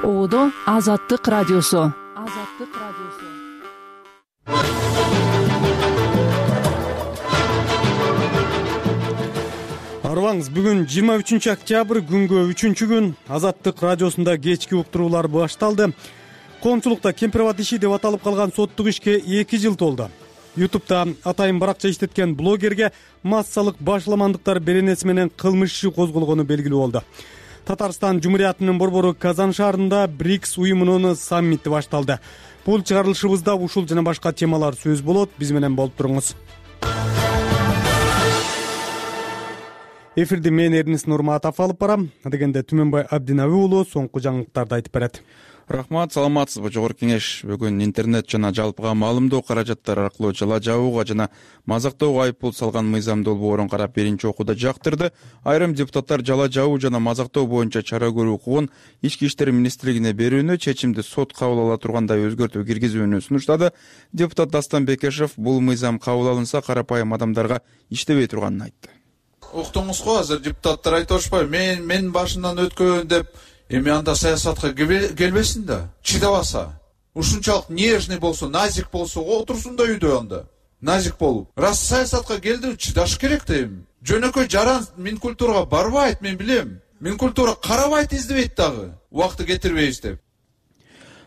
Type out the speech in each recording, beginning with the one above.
Оодо Азаттык радиосу. Арыбаңыз, бүгүн 23 октябрь күнгө 3-күн Азаттык радиосунда кечки уктуруулар башталды. Коомчулукта кемпирабад иши деп аталып калган соттук ишке 2 жыл толду. YouTube'да атайын баракча иштеткен блогерге массалык башламандыктар беренеси менен кылмыш иши козголгону белгилүү болду. Татарстан Жумуриятынын борбору Казан шаарында БРИКС уюмунун саммити башталды. Бул чыгарылышыбызда ушул жана башка темалар сөз болот. Биз менен болуп туруңуз. Эфирди мен Эрнис Нурматов алып барам. Дегенде Түмөнбай Абдинаби уулу соңку жаңылыктарды айтып берет. Рахмат, саламатсызбы? Жогорку кеңеш бүгүн интернет жана жалпыга маалымдоо каражаттары аркылуу жала жабууга жана мазактоого айыппул салган мыйзам долбоорун карап биринчи окууда жактырды. Айрым депутаттар жала жабуу жана мазактоо боюнча чара көрүү укугун Ички иштер министрлигине берүүнү, чечимди сот кабыл ала тургандай өзгөртүү киргизүүнү сунуштады. Депутат Дастан Бекешев бул мыйзам кабыл алынса карапайым адамдарга иштебей турганын айтты. Уктуңуз го, азыр депутаттар айтып атышпайбы, мен башынан өткөн деп. Эми анда саясатка келбесин да, чыдабаса. Ушунчалык нежный болсо, назик болсо, отурсун да үйдө анда. Назик болуп. Раз саясатка келди, чыдаш керек да эми. Жөнөкөй жаран Минкультурага барбайт, мен билем. Минкультура карабайт, издебейт дагы. Убакты кетирбейбиз деп.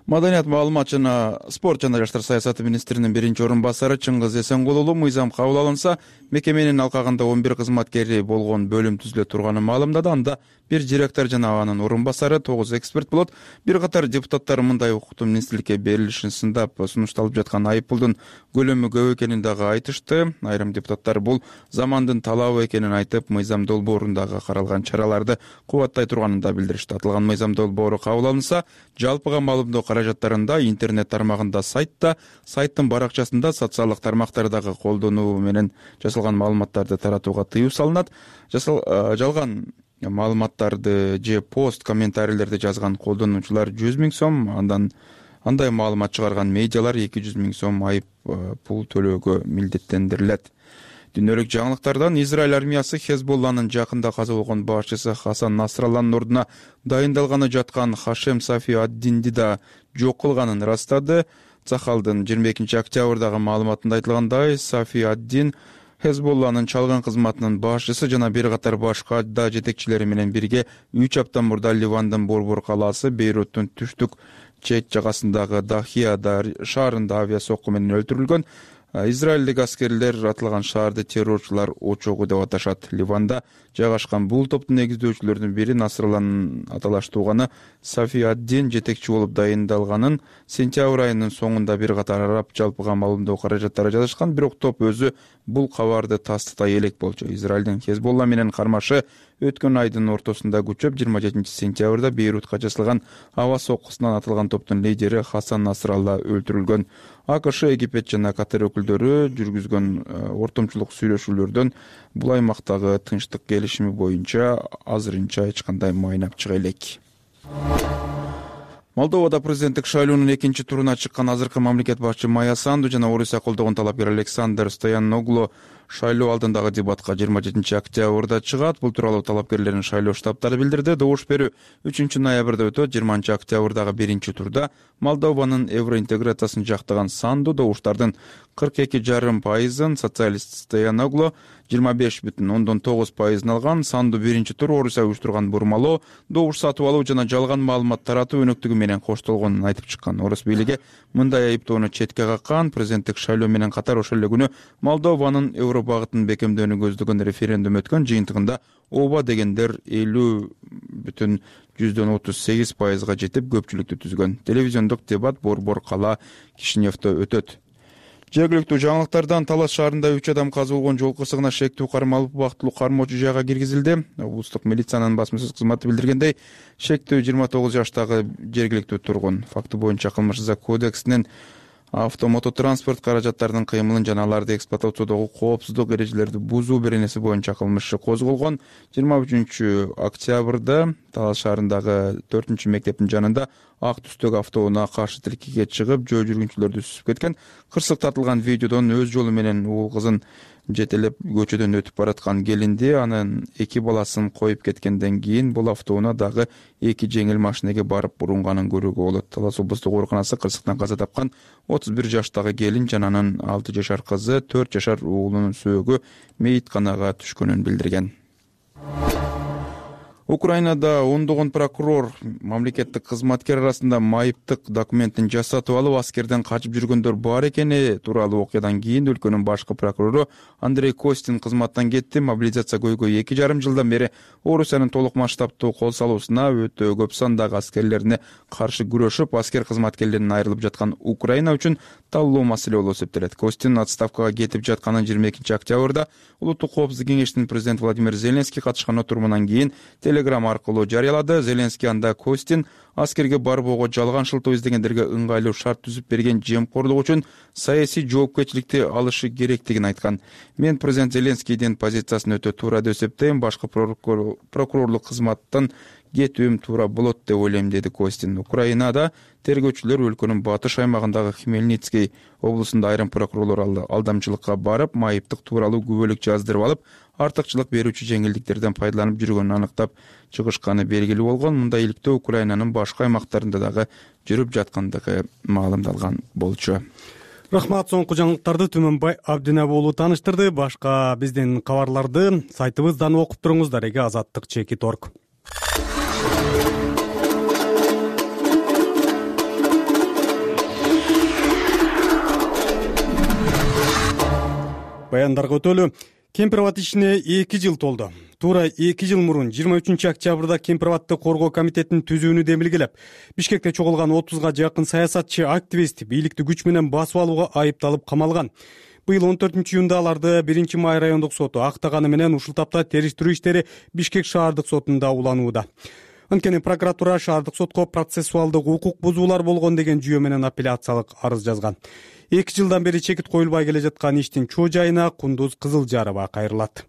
Маданият, маалымат жана спорт жана жаштар саясаты министринин биринчи орун басары Чыңгыз Эсенгулұлы мыйзам кабыл алынса, мекеменин алкагында 11 кызматкери болгон бөлүм түзүлө турганын маалымдады. Анда бир директор жана анын орун басары, 9 эксперт болот. Бир катар депутаттар мындай укуктун министрликке берилишин сындап, сунушталып жаткан айыппулдун көлөмү көп экенин дагы айтышты. Айрым депутаттар бул замандын талабы экенин айтып, мыйзам долбоорундагы каралган чараларды кубаттай турганын да билдиришти. Аталган мыйзам долбоору кабыл алынса, жалпыга маалымдоо каражаттарында, интернет тармагында, сайттын баракчасында, социалдык тармактардагы колдонуу менен жасалган маалыматтарды таратууга тыюу салынат. Жалган маалыматтарды же пост, комментарийлерди жазган колдонуучулар 100 000 сом, андай маалымат чыгарган медиалар 200 000 сом айып пул төлөөгө милдеттендирилет. Дүйнөлүк жаңылыктардан Израиль армиясы Хезболланын жакында каза болгон башчысы Хасан Насралланын ордуна дайындалганы жаткан Хашем Сафи ад-Динди да жок кылганын ырастады. Цахалдын 22 октябрдагы маалыматында айтылгандай, Сафи ад-Дин Хезболланын чалган кызматынын башчысы жана бир катар башка да жетекчилери менен бирге 3 апта мурда Ливандын борбор калаасы Бейруттун түштүк чет жагасындагы Дахия шаарында авиа сокку менен өлтүрүлгөн. Израилдик аскерлер атылган шаарды террорчулар очогу деп аташат. Ливанда жайгашкан бул топтун негиздөөчүлөрдүн бири Насралланын аталаш тууганы Сафи ад-Дин жетекчи болуп дайындалганын сентябрь айынын соңунда бир катар араб жалпыга маалымдоо каражаттары жазышкан, бирок топ өзү бул кабарды тастыктай элек болчу. Израилдин Хезболла менен кармашы өткөн айдын ортосунда күчөп 27 сентябрда Бейрутка жасалган аба соккусунан атылган топтун лидери Хасан Насралла өлтүрүлгөн. АКШ, Египет жана Катар өкүлдөрү жүргүзгөн ортомчулук сүйлөшүүлөрдөн бул аймактагы тынчтык келишими боюнча азырынча эч кандай майнап чыга элек. Молдовада президенттик шайлоонун экинчи туруна чыккан азыркы мамлекет башчы Майя Санду жана Орусия колдогон талапкер Александр Стояноглу шайлоо алдындагы дебатка 27 октябрда чыгат. Бул тууралуу талапкерлердин шайлоо штабтары билдирди. Добуш берүү 3 ноябрда өтөт. 20 октябрдагы биринчи турда Молдованын евроинтеграциясын жактаган Санду добуштардын 42,5%, социалист Стояноглу 25,9% алган. Санду биринчи тур Орусия уюштурган бурмалоо, добуш сатып алуу жана жалган маалымат таратуу өнөктүгү менен коштолгонун айтып чыккан. Орус бийлиги мындай айыптоону четке каккан. Президенттик шайлоо менен катар ошол эле күнү Молдованын Евро багытын бекемдөөнү көздөгөн референдум өткөн. Жыйынтыгында ооба дегендер 50,38%га жетип көпчүлүктү түзгөн. Телевизиондук дебат борбор кала Кишиневдө өтөт. Жергиликтүү жаңылыктардан Талас шаарында 3 адам каза болгон жол кырсыгына шектүү кармалып убактылуу кармоочу жайга киргизилди. Облустук милициянын басма сөз кызматы билдиргендей, шектүү 29 жаштагы жергиликтүү тургун. Факты боюнча кылмыш кодексинин автомототранспорт каражаттарынын кыймылын жана аларды эксплуатациядагы коопсуздук эрежелерди бузуу беренеси боюнча кылмыш козголгон. 23 октябрда Талас шаарындагы 4 мектептин жанында ак түстөгү автоунаа каршы тилкеге чыгып, жөө жүргүнчүлөрдү сүзүп кеткен. Кырсык тартылган видеодон өз жолу менен уул кызын жетелеп көчөдөн өтүп бараткан келинди, анын 2 баласын коюп кеткенден кийин бул автоунаа дагы 2 жеңил машинеге барып урунганын көрүүгө болот. Талас облустук ооруканасы кырсыктан каза тапкан 31 жаштагы келин жана анын 6 жашар кызы, 4 жашар уулунун сөөгү мейитканага түшкөнүн билдирген. Украинада ондогон прокурор мамлекеттик кызматкер арасында майыптык документин жасатып алып аскерден качып жүргөндөр бар экени тууралуу окуядан кийин өлкөнүн башкы прокурору Андрей Костин кызматтан кетти. Мобилизация көйгөй 2,5 жылдан бери Орусиянын толук масштабтуу кол салуусуна өтө көп сандагы аскерлерине каршы күрөшүп, аскер кызматкерлеринен айрылып жаткан Украина үчүн талуу маселе болуп эсептелет. Костин отставкага кетип жатканын 22 октябрда Улуттук коопсуздук кеңештин президенти Владимир Зеленский катышкан отурумунан кийин Телеграм аркылуу жарыялады. Зеленский анда Костин аскерге барбоого жалган шылтоо издегендерге ыңгайлуу шарт түзүп берген жемкорлук үчүн саясий жоопкерчиликти алышы керектигин айткан. Мен президент Зеленскийдин позициясын өтө туура деп эсептейм. Башкы прокурорлук кызматтан кетүүм туура болот деп ойлойм, деди Костин. Украинада тергөөчүлөр өлкөнүн батыш аймагындагы Хмельницкий облусунда айрым прокурорлор алдамчылыкка барып, майыптык тууралуу күбөлүк жаздырып алып, артыкчылык берүүчү жеңилдиктерден пайдаланып жүргөнүн аныктап чыгышканы белгилүү болгон. Мындай иликтөө Украинанын башка аймактарында дагы жүрүп жаткандыгы маалымдалган болчу. Рахмат, соңку жаңылыктарды Түмөнбай Абдинабы уулу тааныштырды. Башка биздин кабарларды сайтыбыздан окуп туруңуздар. Азаттык.org. Баяндарга өтөлү. Кемпирабад ишине 2 жыл толду. Туура 2 жыл мурун 23 октябрда Кемпирабадды коргоо комитетинин түзүүнү демилгелеп, Бишкекте чогулган 30га жакын саясатчы, активист бийликти күч менен басып алууга айыпталып камалган. Быйыл 14-июнда аларды 1-Май райондук соту актаганы менен ушул тапта териштирүү иштери Бишкек шаардык сотунда уланууда. Анткени прокуратура шаардык сотко процессуалдык укук бузуулар болгон деген жүйө менен апелляциялык арыз жазган. 2 жылдан бери чекит коюлбай келе жаткан иштин чоо жайына Кундуз Кызылжарова кайрылат.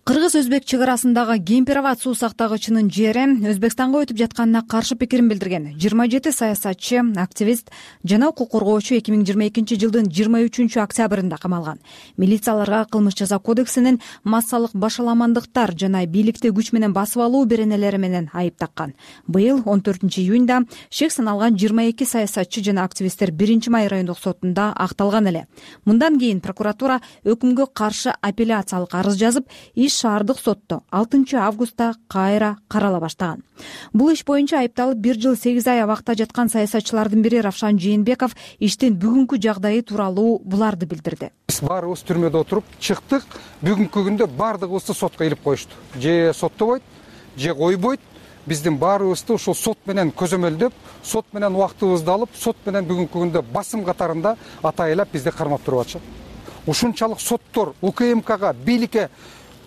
Кыргыз-өзбек чыгарасындагы Кемпирабад суу сактагычынын жери Өзбекстанга өтүп жатканына каршы пикирин билдирген 27 саясатчы, активист жана укук коргоочу 2022 жылдын 23 октябрында камалган. Милицияларга кылмыш жаза кодексинин массалык башаламандыктар жана бийликти күч менен басып алуу беренелери менен айып таккан. Быйыл 14-июнда шек саналган 22 саясатчы жана активисттер 1-Май райондук сотунда акталган эле. Мындан кийин прокуратура өкүмгө каршы апелляциялык арыз жазып, шаардык сотто 6 августта кайра карала баштаган. Бул иш боюнча айыпталып 1 жыл 8 ай абакта жаткан саясатчылардын бири Равшан Жээнбеков иштин бүгүнкү жагдайы тууралуу буларды билдирди. Биз баарыбыз түрмөдө отуруп чыктык. Бүгүнкү күндө баардыгыбызды сотко илип коюшту. Же соттобойт, же койбойт. Биздин баарыбызды ушул сот менен көзөмөлдөп, сот менен убактыбызды алып, сот менен бүгүнкү күндө басым катарында атайлап бизди кармап туруп атышат. Ушунчалык соттор УКМКга, бийликке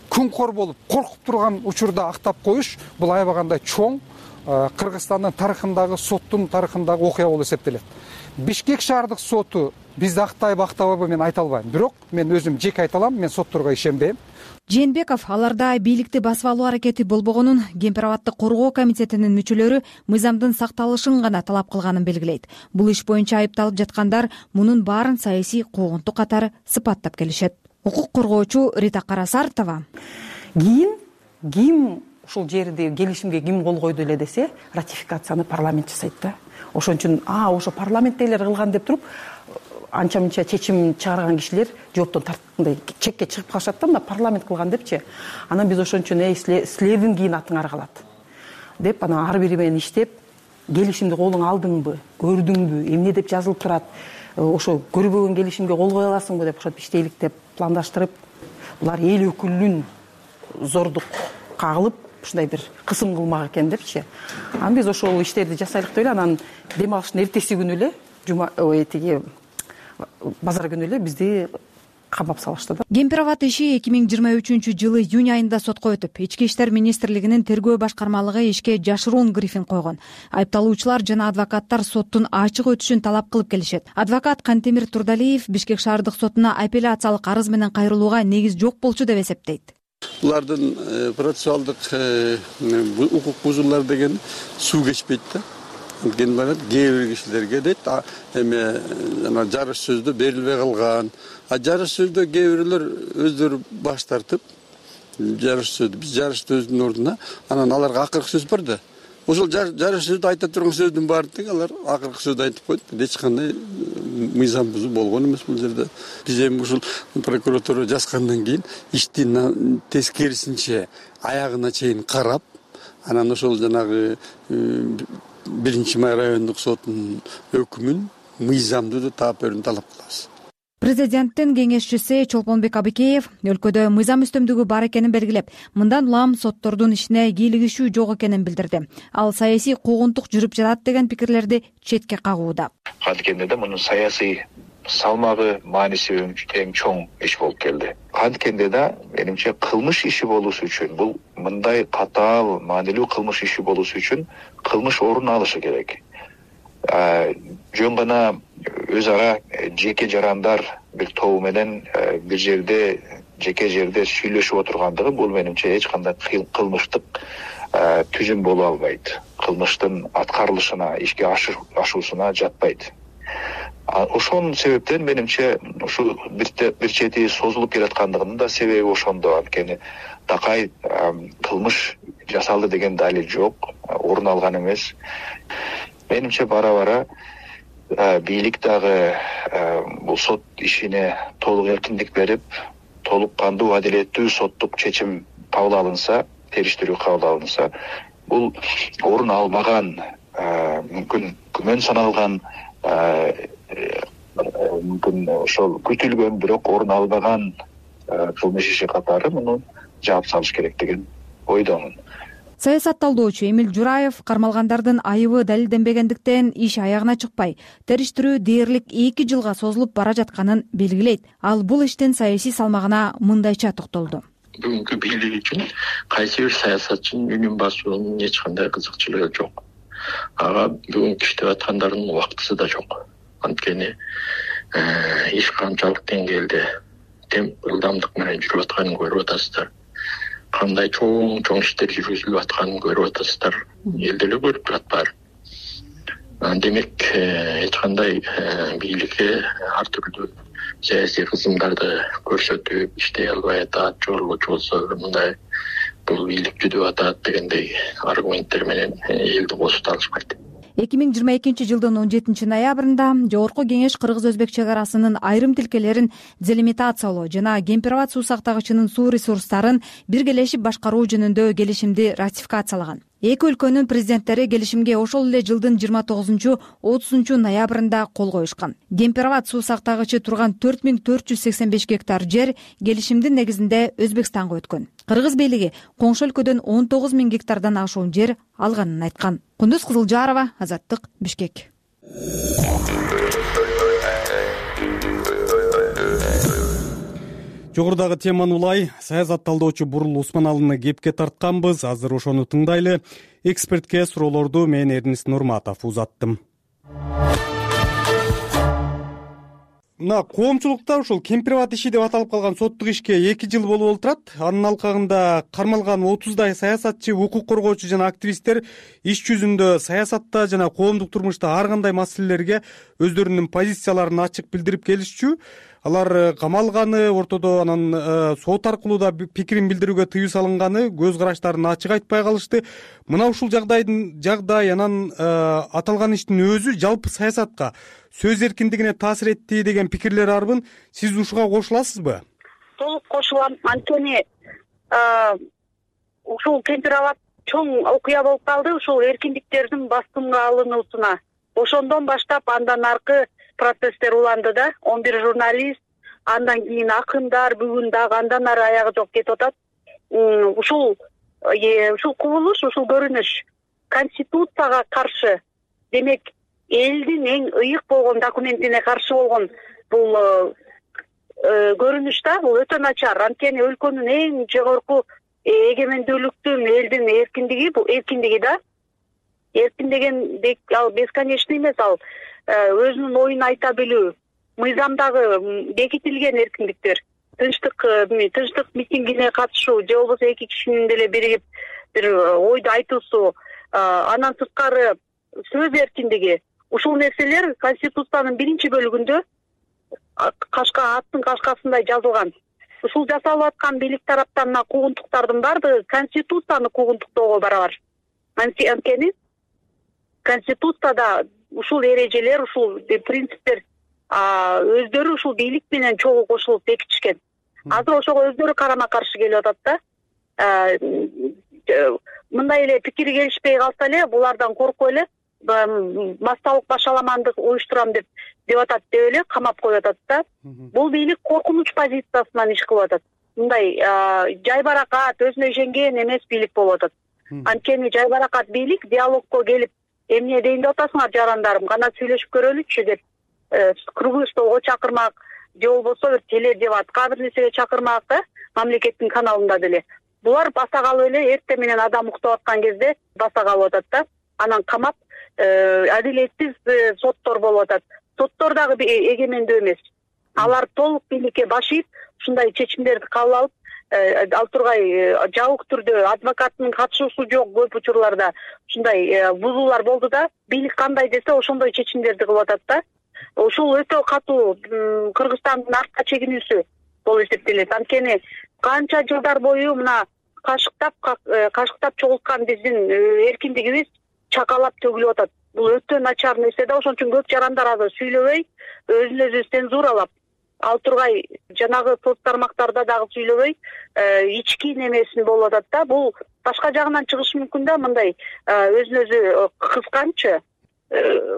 күнкор болуп коркуп турган учурда актап коюш бул аябагандай чоң Кыргызстандын тарыхындагы, соттун тарыхындагы окуя болуп эсептелет. Бишкек шаардык соту бизди актайбы актабайбы мен айта албайм, бирок мен өзүм жеке айта алам, мен сотторго ишенбейм. Жээнбеков аларда бийликти басып алуу аракети болбогонун, Кемпирабадды коргоо комитетинин мүчөлөрү мыйзамдын сакталышын гана талап кылганын белгилейт. Бул иш боюнча айыпталып жаткандар мунун баарын саясий куугунтук катары сыпаттап келишет. Укук коргоочу Рита Карасартова ким ушул жерди келишимге ким кол койду эле десе, ратификацияны парламент жасайт да. Ошон үчүн ошо парламенттегилер кылган деп туруп анча-мынча чечим чыгарган кишилер жооптон тарткандай чекке чыгып калышат да, мына парламент кылган депчи. Анан биз ошон үчүн силердин кийин атыңар калат деп анан ар бири менен иштеп, келишимди колуңа алдыңбы, көрдүңбү, эмне деп жазылып турат, ошо көрбөгөн келишимге кол кое аласыңбы деп ошентип иштейлик деп пландаштырып, булар эл өкүлүнүн зордук кагылып ушундай бир кысым кылмак экен депчи. Анан биз ошол иштерди жасайлык деп эле, анан дем алыштын эртеси күнү эле базар күнү эле бизди камап салышты да. Кемпирабад иши 2023 жылы июнь айында сотко өтүп, Ички иштер министрлигинин тергөө башкармалыгы ишке жашыруун грифин койгон. Айыпталуучулар жана адвокаттар соттун ачык өтүшүн талап кылып келишет. Адвокат Кантемир Турдалиев Бишкек шаардык сотуна апелляциялык арыз менен кайрылууга негиз жок болчу деп эсептейт. Булардын процессуалдык укук бузуулар деген суу кечпейт да. кээ бир кишилерге дейт эме жана жарыш сөздө берилбей калган. Жарыш сөздө кээ бирлер өздөрү баш тартып жарыш сөздү биз жарышты өзүнүн ордуна анан аларга акыркы сөз бар да. Ошол жарыш сөздү айта турган сөздүн баарын тең алар акыркы сөздү айтып койду. Эч кандай мыйзам бузуу болгон эмес бул жерде. Биз эми ушул прокуратура жазгандан кийин ишти тескерисинче аягына чейин карап, анан ошол жанагы 1-Май райондук сотунун өкүмүн мыйзамдуу деп таап берүүнү талап кылабыз. Президенттин кеңешчиси Чолпонбек Абыкеев өлкөдө мыйзам үстөмдүгү бар экенин белгилеп, мындан улам соттордун ишине кийлигишүү жок экенин билдирди. Ал саясий куугунтук жүрүп жатат деген пикирлерди четке кагууда. Анткени да мунун саясий салмагы, мааниси эң чоң иш болуп келди. Анткенде да менимче кылмыш иши болуусу үчүн, бул мындай катаал, маанилүү кылмыш иши болуусу үчүн кылмыш орун алышы керек. Жөн гана өз ара жеке жарандар бир тобу менен бир жерде, жеке жерде сүйлөшүп отургандыгы бул менимче эч кандай кылмыштык түзүм боло албайт. Кылмыштын аткарылышына, ишке ашуусуна жатпайт. Ошон себептен менимче ушул бир чети созулуп келаткандыгынын да себеби ошондо. Анткени такай кылмыш жасалды деген далил жок, орун алган эмес. Менимче бара-бара бийлик дагы бул сот ишине толук эркиндик берип, толук кандуу, адилеттүү соттук чечим кабыл алынса, териштирүү кабыл алынса, бул орун албаган, мүмкүн күмөн саналган, мүмкүн ошол күтүлгөн бирок орун албаган кылмыш иши катары муну жаап салыш керек деген ойдомун. Саясат талдоочу Эмил Жураев кармалгандардын айыбы далилденбегендиктен иш аягына чыкпай, териштирүү дээрлик 2 жылга созулуп бара жатканын белгилейт. Ал бул иштин саясий салмагына мындайча токтолду. Бүгүнкү бийлик үчүн кайсы бир саясатчынын үнүн басуунун эч кандай кызыкчылыгы жок. Ага бүгүнкү иштеп аткандардын убактысы да жок. Анткени иш канчалык деңгээлде ылдамдык менен жүрүп атканын көрүп атасыздар. Кандай чоң иштер жүргүзүлүп атканын көрүп атасыздар. Элде эле көрүп турат баары. Демек, эч кандай бийликке ар түрдүү саясий кызымдарды көрсөтүп иштей албай атат, жорулуучу болсо мындай бул бийлик жүдөп атат дегендей аргументтер менен элди косуп алышпайт. 2022 жылдын 17 ноябрында Жогорку Кеңеш Кыргыз-Өзбек чек арасынын айрым тилкелерин делимитациялоо жана Кемпирабад суу сактагычынын суу ресурстарын биргелешип башкаруу жөнүндө келишимди ратификациялаган. Эки өлкөнүн президенттери келишимге ошол эле жылдын 29-30 ноябрында кол коюшкан. Кемпирабад суу сактагычы турган 4485 гектар жер келишимдин негизинде Өзбекстанга өткөн. Кыргыз бийлиги коңшу өлкөдөн 19.000 гектардан ашуун жер алганын айткан. Кундуз Кызылжарова, Азаттык, Бишкек. Жогорудагы теманы улай саясат талдоочу Бурул Усманалыны кепке тартканбыз. Азыр ошону тыңдайлы. Экспертке суроолорду мен Эрнис Нурматов узаттым. Мына коомчулукта ушул Кемпирабад иши деп аталып калган соттук ишке 2 жыл болуп олтурат. Анын алкагында кармалган 30дай саясатчы, укук коргоочу жана активисттер иш жүзүндө саясатта жана коомдук турмушта ар кандай маселелерге өздөрүнүн позицияларын ачык билдирип келишчү. Алар камалганы, ортодо анан сот аркылуу да пикирин билдирүүгө тыюу салынганы, көз караштарын ачык айтпай калышты. Мына ушул жагдай анан аталган иштин өзү жалпы саясатка, сөз эркиндигине таасир этти деген пикирлер арбын. Сиз ушуга кошуласызбы? Толук кошулам. Анткени ушул Кемпирабад чоң окуя болуп калды ушул эркиндиктердин баскынга алынуусуна. Ошондон баштап андан аркы процесстер уланды да. 11 журналист, андан кийин акындар, бүгүн дагы андан ары аягы жок кетип атат. Ушул кубулуш, ушул көрүнүш конституцияга каршы, демек элдин эң ыйык болгон документине каршы болгон бул көрүнүш да, бул өтө начар. Анткени өлкөнүн эң жогорку эгемендүүлүктүн, элдин эркиндиги, бул эркиндиги да. Эркин деген ал бесконечный эмес, ал өзүнүн оюн айта билүү, мыйзамдагы бекитилген эркиндиктер, тынчтык митингине катышуу, же болбосо эки кишинин деле биригип бир ойду айтуусу, андан сырткары сөз эркиндиги, ушул нерселер Конституциянын 1-бөлүгүндө аттын кашкасындай жазылган. Ушул жасалып аткан бийлик тараптан куугунтуктардын баардыгы Конституцияны куугунтуктоого барабар. Анткени Конституцияда ушул эрежелер, ушул принциптер өздөрү ушул бийлик менен чогуу кошулуп бекитишкен. Азыр ошого өздөрү карама-каршы келип атат да. Мындай эле пикири келишпей калса эле булардан коркуп эле массалык башаламандык уюштурам деп атат деп эле камап коюп атат да. Бул бийлик коркунуч позициясынан иш кылып атат. Мындай жайбаракат, өзүнө ишенген эмес бийлик болуп атат. Анткени жайбаракат бийлик диалогко келип, эмне дейин деп атасыңар жарандарым, кана сүйлөшүп көрөлүчү деп круглый столго чакырмак, же болбосо бир теледебатка бир нерсеге чакырмак да, мамлекеттин каналында деле. Булар баса калып эле эртең менен адам уктап аткан кезде баса калып атат да. Анан камап адилетсиз соттор болуп атат. Соттор дагы эгемендүү эмес. Алар толук бийликке баш ийип, ушундай чечимдерди кабыл алып, ал тургай жабык түрдө адвокаттын катышуусу жок көп учурларда ушундай бузуулар болду да, бийлик кандай десе ошондой чечимдерди кылып атат да. Ушул өтө катуу Кыргызстандын артка чегинүүсү болуп эсептелет. Анткени канча жылдар бою мына кашыктап чогулткан биздин эркиндигибиз чакалап төгүлүп атат. Бул өтө начар нерсе да, ошон үчүн көп жарандар азыр сүйлөбөй, өзүн өзү цензуралап, ал тургай жанагы соц тармактарда дагы сүйлөбөй, ички немесин болуп атат да. Бул башка жагынан чыгышы мүмкүн да, мындай өзүн өзү кысканчы,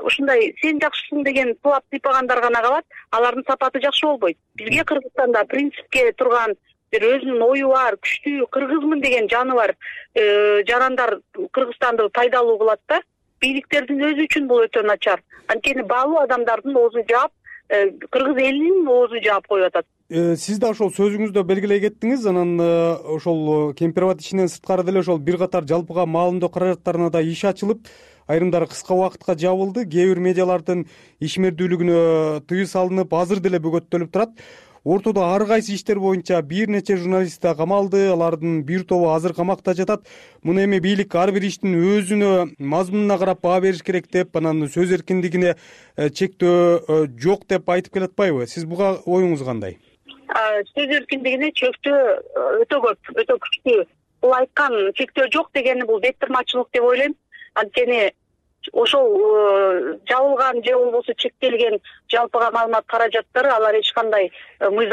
ушундай сен жакшысың деген сылап сыйпагандар гана калат, алардын сапаты жакшы болбойт. Бизге Кыргызстанда принципке турган, бир өзүнүн ою бар, күчтүү кыргызмын деген жаны бар жарандар Кыргызстанды пайдалуу кылат да. Бийликтердин өзү үчүн бул өтө начар. Анткени баалуу адамдардын оозу жаап, кыргыз элинин оозу жаап коюп атат. Сиз да ошол сөзүңүздө белгилей кеттиңиз, анан ошол Кемпирабад ишинен сырткары деле ошол бир катар жалпыга маалымдоо каражаттарына да иш ачылып, айрымдары кыска убакытка жабылды. Кээ бир медиалардын ишмердүүлүгүнө тыюу салынып, азыр деле бөгөттөлүп турат. Ортодо ар кайсы иштер боюнча бир нече журналист да камалды, алардын бир тобу азыр камакта жатат. Муну эми бийлик ар бир иштин өзүнө мазмунуна карап баа бериш керек деп, анан сөз эркиндигине чектөө жок деп айтып келатпайбы? Сиз буга оюңуз кандай? Сөз эркиндигине чектөө өтө көп, өтө күчтүү. Бул айткан чектөө жок дегени бул беттырмачылык деп ойлойм. Анткени ошол жабылган же болбосо чектелген жалпыга маалымат каражаттары алар эч кандай өзүнүн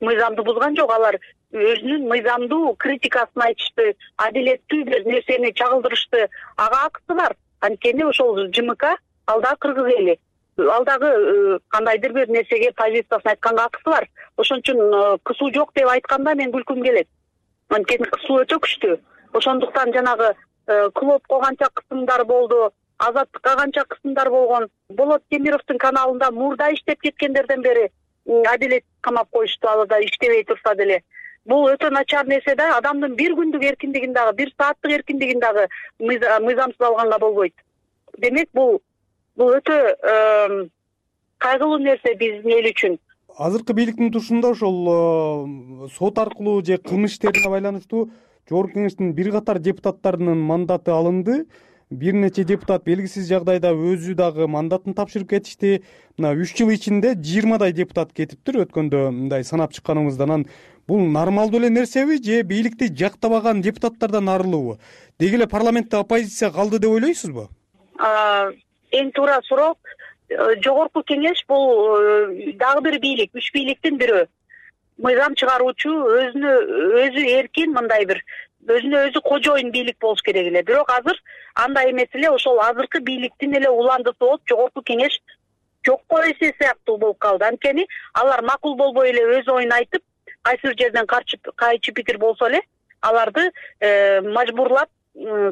мыйзамды бузган жок. Алар өзүнүн мыйзамдуу критикасын айтышты, адилеттүү бир нерсени чагылдырышты. Ага акысы бар. Анткени ошол ЖМК ал дагы кыргыз эли. Ал дагы кандайдыр бир нерсеге позициясын айтканга акысы бар. Ошон үчүн кысуу жок деп айтканда мен күлкүм келет. Анткени кысуу өтө күчтүү. Ошондуктан жанагы клопко канча кысымдар болду, Азаттыкка канча кысымдар болгон. Болот Темировдун каналында мурда иштеп кеткендерден бери адилет камап коюшту, ал да иштебей турса деле. Бул өтө начар нерсе да, адамдын бир күндүк эркиндигин дагы, бир сааттык эркиндигин дагы мыйзамсыз алганга болбойт. Демек бул өтө кайгылуу нерсе биздин эл үчүн. Азыркы бийликтин турушунда ошол сот аркылуу же кылмыш иштерине байланыштуу Жогорку Кеңештин бир катар депутаттарынын мандаты алынды. Бир нече депутат белгисиз жагдайда өзү дагы мандатын тапшырып кетишти. Мына 3 жыл ичинде 20 депутат кетиптир, өткөндө мындай санап чыкканыбыздан. Бул нормалдуу эле нерсеби же бийликти жактабаган депутаттардан арылуубу? Деги эле парламентте оппозиция калды деп ойлойсузбу? Эң туура суроо. Жогорку Кеңеш бул дагы бир бийлик, 3 бийликтин бирөө. Мыйзам чыгаруучу, өзү эркин, мындай бир өзүнө өзү кожоюн бийлик болуш керек эле. Бирок азыр андай эмес эле, ошол азыркы бийликтин эле уландысы болуп, Жогорку Кеңеш жокко эсе сыяктуу болуп калды. Анткени алар макул болбой эле өз оюн айтып, кайсы бир жерден кайчы пикир болсо эле, аларды мажбурлап,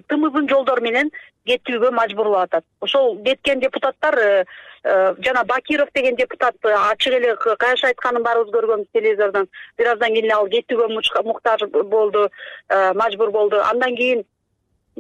тымызын жолдор менен кетүүгө мажбурлап атат. Ошол кеткен депутаттар, жана Бакиров деген депутат ачык эле каяш айтканын баарыбыз көргөнбүз телевизордон. Бир аздан кийин ал кетүүгө муктаж болду, мажбур болду. Андан кийин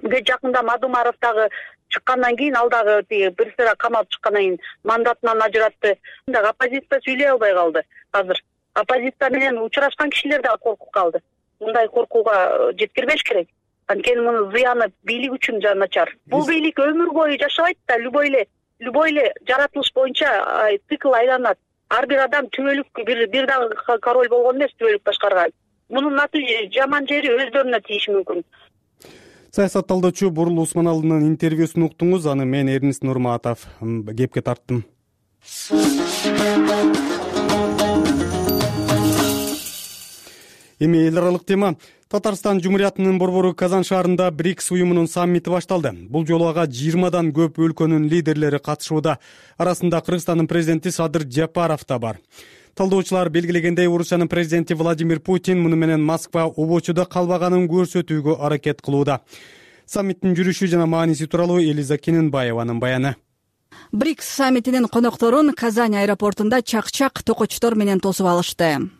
жакында Мадумаров дагы чыккандан кийин, ал дагы бир сыра камалып чыккандан кийин мандатынан ажыратты. Оппозиция сүйлөй албай калды. Азыр оппозиция менен учурашкан кишилер дагы коркуп калды. Мындай коркууга жеткирбеш керек. Анткени мунун зыяны бийлик үчүн начар. Бул бийлик өмүр бою жашабайт да, любой эле жаратылыш боюнча цикл айланат. Ар бир адам түбөлүк бир дагы король болгон эмес түбөлүк башкарган. Мунун жаман жери өздөрүнө тийиши мүмкүн. Саясат талдоочу Бурул Усманалынын интервьюсун уктуңуз. Аны мен Эрнис Нурматов кепке тарттым. Эми эл аралык тема. Татарстан Жумуриятынын борбору Казан шаарында БРИКС уюмунун саммити башталды. Бул жолу ага 20дан көп өлкөнүн лидерлери катышууда. Арасында Кыргызстандын президенти Садыр Жапаров да бар. Талдоочулар белгилегендей, Орусиянын президенти Владимир Путин муну менен Москва обочудо калбаганын көрсөтүүгө аракет кылууда. Саммиттин жүрүшү жана мааниси тууралуу Элиза Кененбаеванын баяны. БРИКС саммитинин конокторун Казань аэропортунда чак-чак токочтор менен тосуп алышты.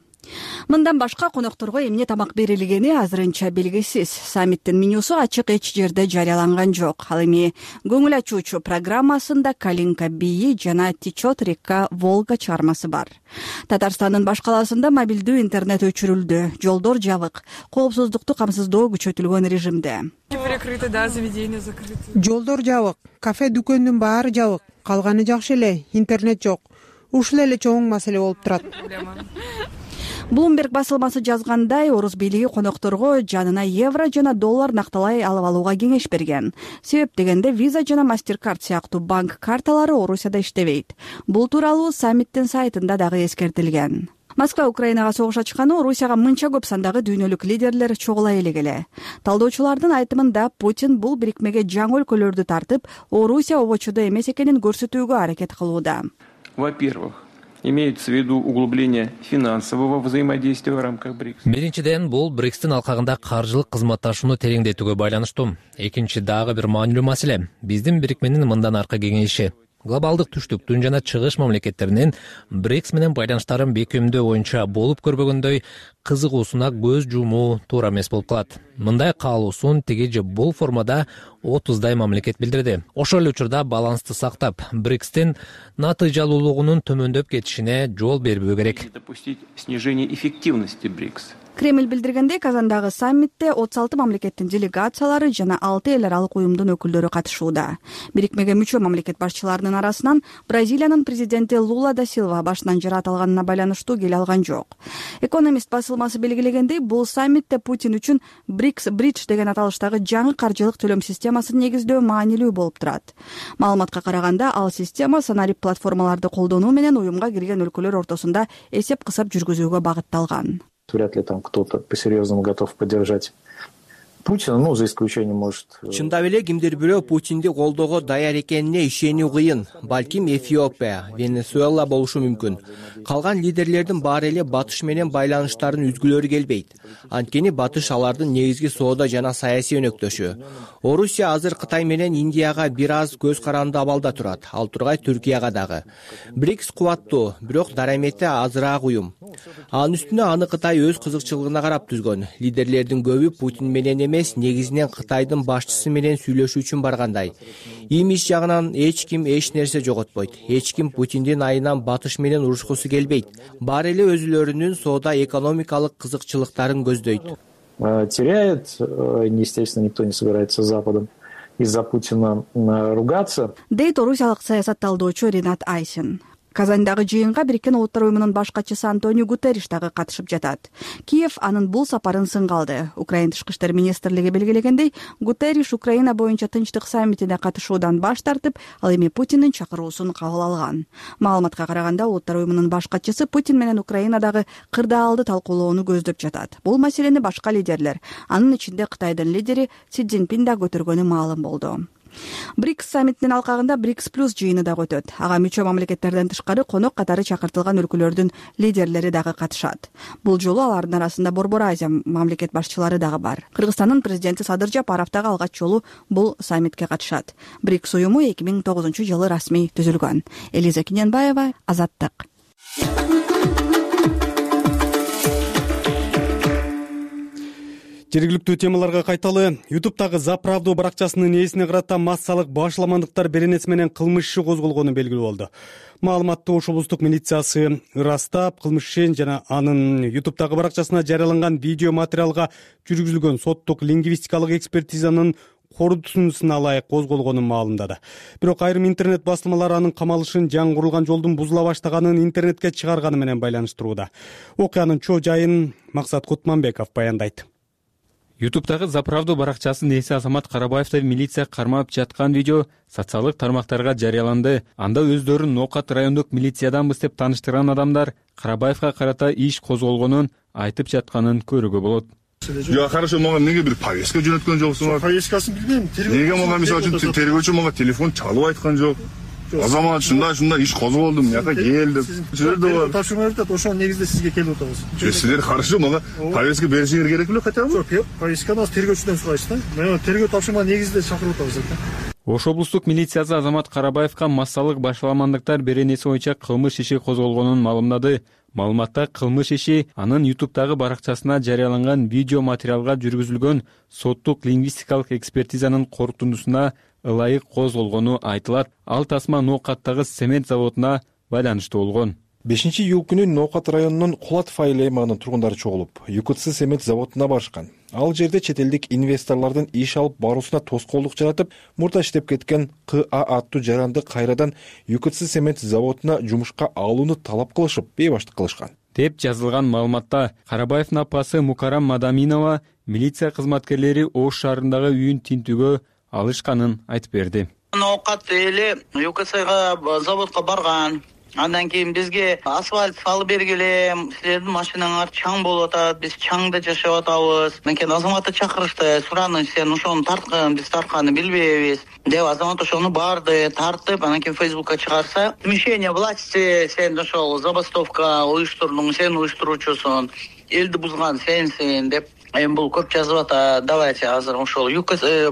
Мындан башка конокторго эмне тамак берилгени азырынча белгисиз. Саммиттин менюсу ачык эч жерде жарыяланган жок. Ал эми көңүл ачуучу программасында Калинка бийи жана Течет река Волга чыгармасы бар. Татарстандын баш калаасында мобилдүү интернет өчүрүлдү. Жолдор жабык. Коопсуздукту камсыздоо күчөтүлгөн режимде. Жолдор жабык, кафе дүкөндүн баары жабык. Калганы жакшы эле, интернет жок. Ушул эле чоң маселе болуп турат. Bloomberg басылмасы жазгандай, орус бийлиги конокторго жанына евро жана доллар накталай алып алууга кеңеш берген. Себеп дегенде Visa жана MasterCard сыяктуу банк карталары Орусияда иштебейт. Бул тууралуу саммиттин сайтында дагы эскертилген. Москва Украинага согуш ачканы Орусияга мынча көп сандагы дүйнөлүк лидерлер чогула элегеле. Талдоочулардын айтымында Путин бул бирикмеге жаңы өлкөлөрдү тартып, Орусия обочудо эмес экенин көрсөтүүгө аракет кылууда. Во-первых, имеется в виду углубление финансового взаимодействия в рамках БРИКС. Биринчиден, бул БРИКСтин алкагында каржылык кызматташууну тереңдетүүгө байланыштуу. Экинчи дагы бир маанилүү маселе — биздин бирикменин мындан аркы кеңейиши. Глобалдык түштүктүн жана чыгыш мамлекеттеринин БРИКС менен байланыштарын бекемдөө боюнча болуп көрбөгөндөй кызыгуусуна көз жумуу туура эмес болуп калат. Мындай каалоосун тиги же бул формада 30дай мамлекет билдирди. Ошол эле учурда балансты сактап, БРИКСтин натыйжалуулугунун төмөндөп кетишине жол бербөө керек. Допустить снижение эффективности БРИКС. Кремль билдиргендей, Казандагы саммитте 36 мамлекеттин делегациялары жана 6 эл аралык уюмдун өкүлдөрү катышууда. Бирикмеге мүчө мамлекет башчыларынын арасынан Бразилиянын президенти Лула да Силва башынан жара аталганына байланыштуу келе алган жок. Экономист басылмасы белгилегендей, бул саммитте Путин үчүн БРИКС Бридж деген аталыштагы жаңы каржылык төлөм системасын негиздөө маанилүү болуп турат. Маалыматка караганда, ал система санарип платформаларды колдонуу менен уюмга кирген өлкөлөр ортосунда эсеп-кысап жүргүзүүгө багытталган. Вряд ли там кто-то по-серьезному готов поддержать Путина, за исключением, может... Чындап эле кимдир бирөө Путинди колдоого даяр экенине ишенүү кыйын. Балким Эфиопия, Венесуэла болушу мүмкүн. Калган лидерлердин баары эле Батыш менен байланыштарын үзгүлөрү келбейт. Анткени Батыш алардын негизги соода жана саясий өнөктөшү. Орусия азыр Кытай менен Индияга бир аз көз каранды абалда турат, ал тургай Түркияга дагы. БРИКС кубаттуу, бирок дарамети азыраак уюм. Анын үстүнө аны Кытай өз кызыкчылыгына карап түзгөн. Лидерлердин көбү Путин менен эмес, негизинен Кытайдын башчысы менен сүйлөшүү үчүн баргандай. Имидж жагынан эч ким эч нерсе жоготпойт. Эч ким Путиндин айынан Батыш менен урушкусу келбейт. Баары эле өзүлөрүнүн соода экономикалык кызыкчылыктарын көздөйт. Теряет, естественно, никто не собирается с Западом из-за Путина ругаться. Дейт орусиялык саясат талдоочу Ринат Айсин. Казандагы жыйынга Бириккен Улуттар уюмунун баш катчысы Антонио Гутерриш дагы катышып жатат. Киев анын бул сапарын сынга алды. Украина тышкы иштер министрлиги белгилегендей, Гутерриш Украина боюнча тынчтык саммитине катышуудан баш тартып, ал эми Путиндин чакыруусун кабыл алган. Маалыматка караганда, Улуттар уюмунун баш катчысы Путин менен Украинадагы кырдаалды талкуулоону көздөп жатат. Бул маселени башка лидерлер, анын ичинде Кытайдын лидери Си Цзиньпин да көтөргөнү маалым болду. БРИКС саммитинин алкагында БРИКС плюс жыйыны да өтөт. Ага мүчө мамлекеттерден тышкары конок катары чакыртылган өлкөлөрдүн лидерлери дагы катышат. Бул жолу алардын арасында Борбор Азия мамлекет башчылары дагы бар. Кыргызстандын президенти Садыр Жапаров дагы алгач жолу бул саммитке катышат. БРИКС уюму 2009-жылы расмий түзүлгөн. Элиза Кененбаева, Азаттык. Жергиликтүү темаларга кайталы. YouTube'дагы «За правду» баракчасынын ээсине карата массалык башламандыктар беренеси менен кылмыш иши козголгону белгилүү болду. Маалыматты Ош облустук милициясы ырастап, кылмыш ишин жана анын YouTube'дагы баракчасына жарыяланган видео материалга жүргүзүлгөн соттук лингвистикалык экспертизанын корутундусуна ылайык козголгонун маалымдады. Бирок айрым интернет басылмалар анын камалышын жаңы курулган жолдун бузула баштаганын интернетке чыгарганы менен байланыштырууда. Окуянын чоо жайын Максат Кутманбеков баяндайт. YouTube'дагы «За правду» баракчасынын ээси Азамат Карабаевди милиция кармап жаткан видео социалдык тармактарга жарыяланды. Анда өздөрүн Ноокат райондук милициядамбыз деп тааныштырган адамдар Карабаевга карата иш козголгонун айтып жатканын көрүүгө болот. Я хорошо, мага эмнеге бир повестка жөнөткөн жоксуңар? Повесткасын билбейм. Неге мага мисалы үчүн тергөөчү мага телефон чалып айткан жок? Азамат ушундай иш козголдум, мияка келдим. Силер тапшырма берип атат, ошонун негизинде сизге келип атабыз. Силер хорошо, мага повестка беришиңер керек беле хотя бы? Жок, повестканы тергөөчүдөн сурайсыз да. Мен тергөө тапшырма негизинде чакырып атабыз да. Ош облустук милициясы Азамат Карабаевга массалык башламандыктар беренеси боюнча кылмыш иши козголгонун маалымдады. Маалыматта кылмыш иши анын YouTube'дагы баракчасына жарыяланган видео материалга жүргүзүлгөн соттук лингвистикалык экспертизанын корутундусуна ылайык козголгону айтылат. Ал тасма Ноокаттагы цемент заводуна байланыштуу болгон. 5-июль күнү Ноокат районунун Кулатов айыл аймагынын тургундары чогулуп, ЮКЦ цемент заводуна барышкан. Ал жерде чет элдик инвесторлордун иш алып баруусуна тоскоолдук жаратып, мурда иштеп кеткен КА аттуу жаранды кайрадан ЮКЦ цемент заводуна жумушка алууну талап кылышып, бейбаштык кылышкан деп жазылган маалыматта. Карабаевдин апасы Мукарам Мадаминова милиция кызматкерлери Ош шаарындагы үйүн тинтүүгө алышканын айтып берди. Ноокат эли ЮКЦга заводко барган. Андан кийин бизге асфальт салып бергиле, силердин машинаңар чаң болуп атат, биз чаңда жашап атабыз. Менен Азаматты чакырышты, сураны сен ошону тарткан, биз тартканын билбейбиз деп Азамат ошону барды, тартып, анан кийин Фейсбукка чыгарса, смещение власти, сен ошол забастовка уюштурдуң, сен уюштуруучусуң, элди бузган сенсиң деп. Эми бул көп жазып атат. Давайте азыр ошол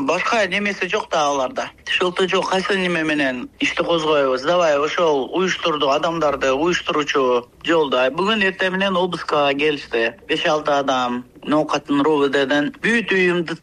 башка немеси жок да аларда. Шылты жок, кайсы неме менен ишти козгойбуз. Давай ошол уюштурду адамдарды уюштуруучу жолда. Бүгүн эртең менен обыска келишти. 5-6 адам Ноокаттын РОВДден бүт үйүмдү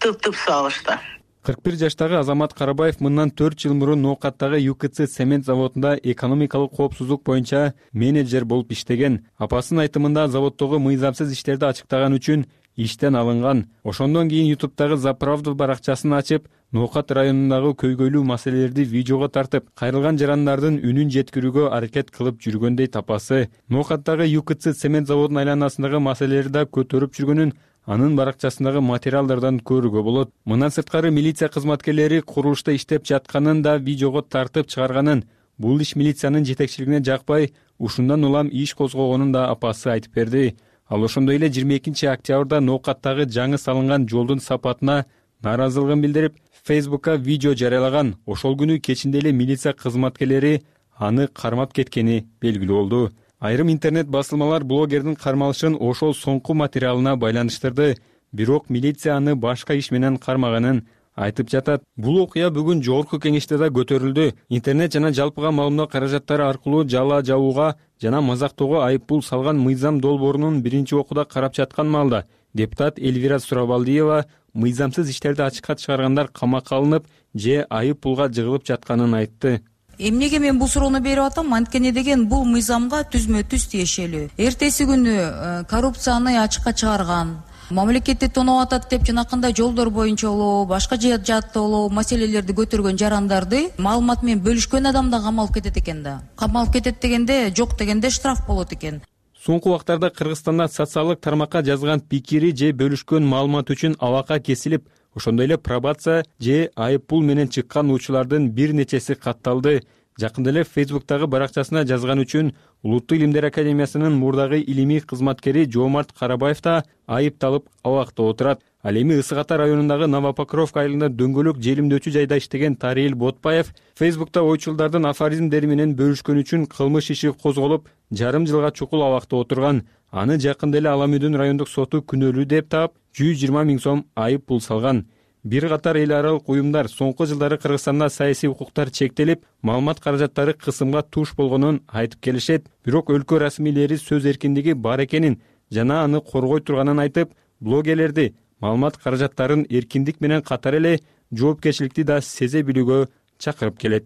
тып салышты. 41 жаштагы Азамат Карабаев мындан 4 жыл мурун Ноокаттагы ЮКЦ цемент заводунда экономикалык коопсуздук боюнча менеджер болуп иштеген. Апасынын айтымында заводдогу мыйзамсыз иштерди ачыктаган үчүн иштен алынган. Ошондон кийин YouTube'дагы «За правду» баракчасын ачып, Ноокат районундагы көйгөйлүү маселелерди видеого тартып, кайрылган жарандардын үнүн жеткирүүгө аракет кылып жүргөндөй тапасы. Ноокаттагы ЮКЦ цемент заводунун айланасындагы маселелерди да көтөрүп жүргөнүн анын баракчасындагы материалдардан көрүүгө болот. Мындан сырткары милиция кызматкерлери курулушта иштеп жатканын да видеого тартып чыгарганын, бул иш милициянын жетекчилигине жакпай, ушундан улам иш козгогонун да апасы айтып берди. Ал ошондой эле 22 октябрда Ноокаттагы жаңы салынган жолдун сапатына нааразылыгын билдирип, Фейсбукка видео жарыялаган. Ошол күнү кечинде эле милиция кызматкерлери аны кармап кеткени белгилүү болду. Айрым интернет басылмалар блогердин кармалышын ошол соңку материалына байланыштырды. Бирок милиция аны башка иш менен кармаганын айтып жатат. Бул окуя бүгүн жогорку кеңеште да көтөрүлдү. Интернет жана жалпыга маалымдоо каражаттары аркылуу жала жабууга жана мазактоого айыппул салган мыйзам долбоорунун биринчи окууда карап жаткан маалда депутат Эльвира Сурабалдиева мыйзамсыз иштерди ачыкка чыгаргандар камакка алынып же айыппулга жыгылып жатканын айтты. Эмнеге мен бул суроону берип атам? Анткени деген бул мыйзамга түзмө-түз тиешелүү. Эртеси күнү коррупцияны ачыкка чыгарган, мамлекетти тоноп атат деп жанакындай жолдор боюнча болобу, башка жаатта болобу маселелерди көтөргөн жарандарды маалымат менен бөлүшкөн адам да камалып кетет экен да. Камалып кетет дегенде, жок дегенде штраф болот экен. Соңку убактарда Кыргызстанда социалдык тармакка жазган пикири же бөлүшкөн маалымат үчүн алака кесилип, ошондой эле пробация же айыппул менен чыккан учурлардын бир нечеси катталды. Жакында эле Фейсбуктагы баракчасына жазган үчүн Улуттук илимдер академиясынын мурдагы илимий кызматкери Жоомарт Карабаев да айыпталып абакта отурат. Ал эми Ысык Ата районундагы Новопокровка айылында дөңгөлөк желимдөөчү жайда иштеген Тариил Ботпаев Фейсбукта ойчулдардын афоризмдери менен бөлүшкөн үчүн кылмыш иши козголуп, жарым жылга чукул абакта отурган. Аны жакында эле Ала Мүдүн райондук соту күнөөлүү деп таап, 120 000 сом айып пул салган. Бир катар эл аралык уюмдар соңку жылдары Кыргызстанда саясий укуктар чектелип, маалымат каражаттары кысымга туш болгонун айтып келишет. Бирок өлкө расмийлери сөз эркиндиги бар экенин жана аны коргой турганын айтып, блогерлерди маалымат каражаттарын эркиндик менен катар эле жоопкерчиликти да сезе билүүгө чакырып келет.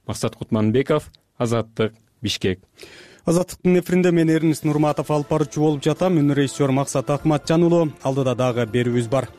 Максат Кутманбеков, Азаттык, Бишкек. Азаттыктын эфиринде мен Эрнис Нурматов алып баруучу болуп жатам. Үнү режиссер Максат Акматжан уулу. Алдыда дагы берүүбүз бар.